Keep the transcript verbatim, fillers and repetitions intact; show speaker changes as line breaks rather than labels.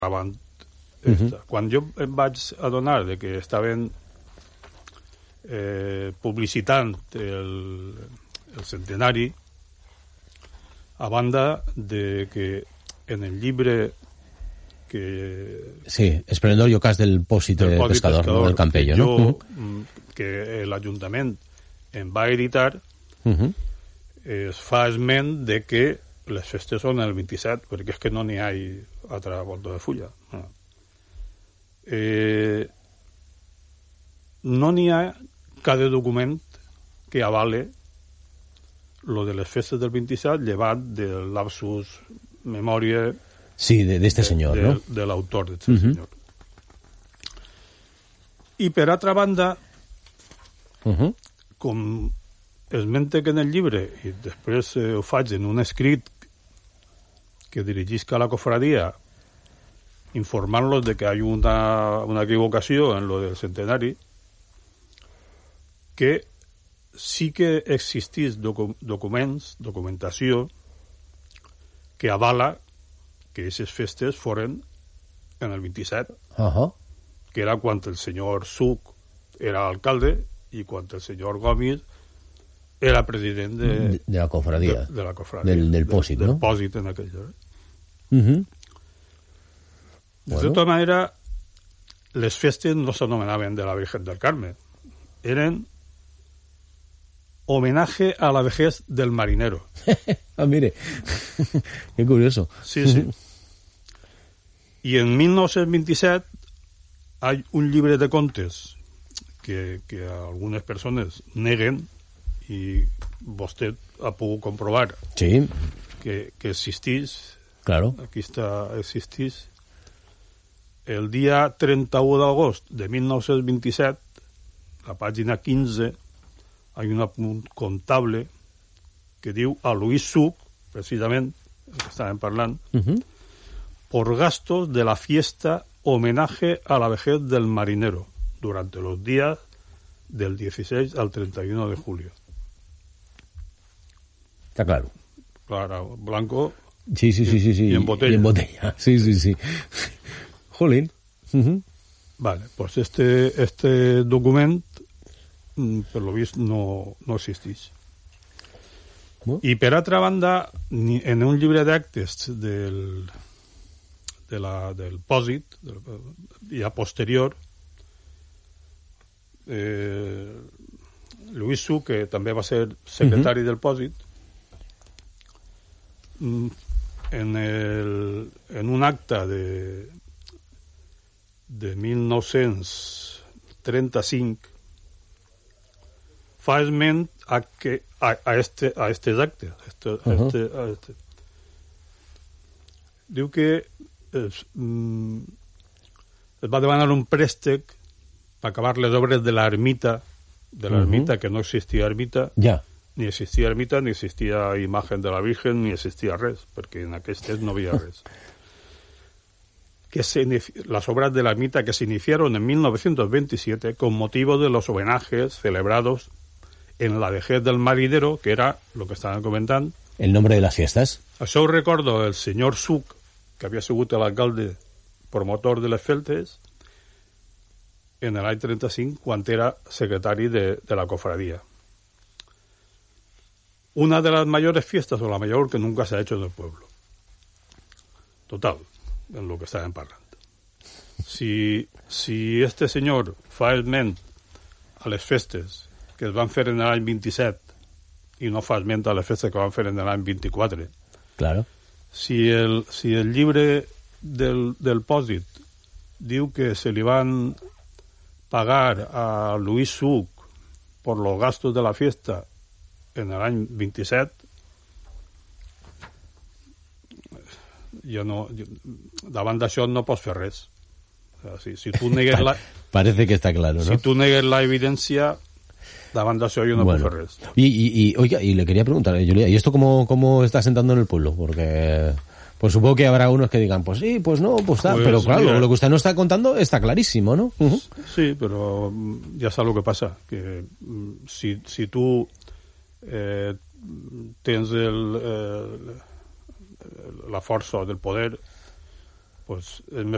abans. Uh-huh. Quan jo em vaig adonar de que estaven eh, publicitant el, el centenari, a banda de que en el llibre que...
Sí, Esplendor i ocàs del Pòsit del Pescador, pescador, del Campello,
jo,
no?
Uh-huh. Que l'Ajuntament em va editar,
uh-huh.
es fa esment de que les festes són el vint-i-set, perquè és que no n'hi ha altra volta de fulla. No. Eh, no n'hi ha cada document que avale lo de les festes del vint-i-set, llevat del lapsus memòria
sí, d'este senyor,
de,
no?
de, de l'autor d'este
uh-huh.
senyor. I per altra banda,
uh-huh.
com esmente que en el llibre, i després eh, ho faig en un escrit que dirigisca a la cofradia, informant-los de que hi ha una, una equivocació en lo del centenari, que sí que existís docu documents, documentació, que avala que aquestes festes foren en el vint-i-set,
uh-huh.
que era quan el senyor Suc era alcalde i quan el senyor Gomis era president de,
de, de la cofradia,
de, de la cofradia
del, del Pòsit,
de,
no?
Del Pòsit en aquell lloc.
Uh-huh.
De
bueno.
tota manera, les festes no s'anomenaven de la Virgen del Carmen, eren homenaje a la vejez del marinero.
Ah, mire, qué curioso.
Sí, sí. I en mil nou-cents vint-i-set hay un llibre de contes que, que algunes persones neguen i vostè ha pogut comprovar
sí.
que, que existís.
Claro.
Aquí està, existís. El dia trenta-u d'agost de mil nou-cents vint-i-set, la pàgina quinze, hi ha un apunt comptable que diu a Luis Suc, precisament, el que estàvem parlant,
uh-huh.
por gastos de la fiesta homenaje a la vejez del marinero durante los días del dieciséis al treinta y uno de julio.
Está claro.
Claro, blanco.
Sí, sí, sí, sí, sí.
Y en botella.
Y en botella. Sí, sí, sí. Jolín. Uh-huh.
Vale, pues este, este document, per lo vist, no, no existeix.
Uh.
I per altra banda, en un llibre d'actes del, de la, del Pòsit, ja posterior, eh, Luis Suc, que també va ser secretari uh-huh. del Pòsit, en, el, en un acte de de mil nou-cents trenta-cinc fa esment a, que, a, a, este, a estes actes. Este, uh-huh. este, a este. Diu que es, mm, es va demanar un préstec per acabar les obres de l'ermita, de l'ermita, uh-huh. que no existia ermita,
ja.
ni existia ermita, ni existia imagen de la Virgen, ni existia res, perquè en aquestes no havia res. Que se, las obras de la ermita que se iniciaron en mil novecientos veintisiete con motivo de los homenajes celebrados en la vejez del marinero, que era lo que estaban comentando.
El nombre de las fiestas.
Això ho recordo el senyor Suc, que havia sigut l'alcalde promotor de les festes, en l'any trenta-cinc, quan era secretari de, de la cofradía. Una de las mayores fiestas, o la mayor que nunca se ha hecho en el pueblo. Total. En lo que estaven parlant. Si, si este senyor fa esment a les festes que es van fer en l'any vint-i-set i no fa esment a les festes que van fer en l'any vint-i-quatre,
claro.
si, el, si el llibre del, del Pòsit diu que se li van pagar a Luis Suc por los gastos de la fiesta en l'any vint-i-set, jo no, jo, davant d'això no pots fer res. O sea, si, si tu negues la...
Parece que está claro, ¿no?
Si tú negues la evidencia, davant d'això yo no
bueno.
puedo hacer res.
Y, y, y, oiga, y le quería preguntar, Julia, ¿y esto cómo, cómo está sentando en el pueblo? Porque pues supongo que habrá unos que digan, pues sí, pues no, pues tal, pues, pero claro, mira, lo que usted nos está contando está clarísimo, ¿no? Uh-huh.
Sí, pero ya sabes lo que pasa, que si, si tú eh, tens el... el la força del poder, pues me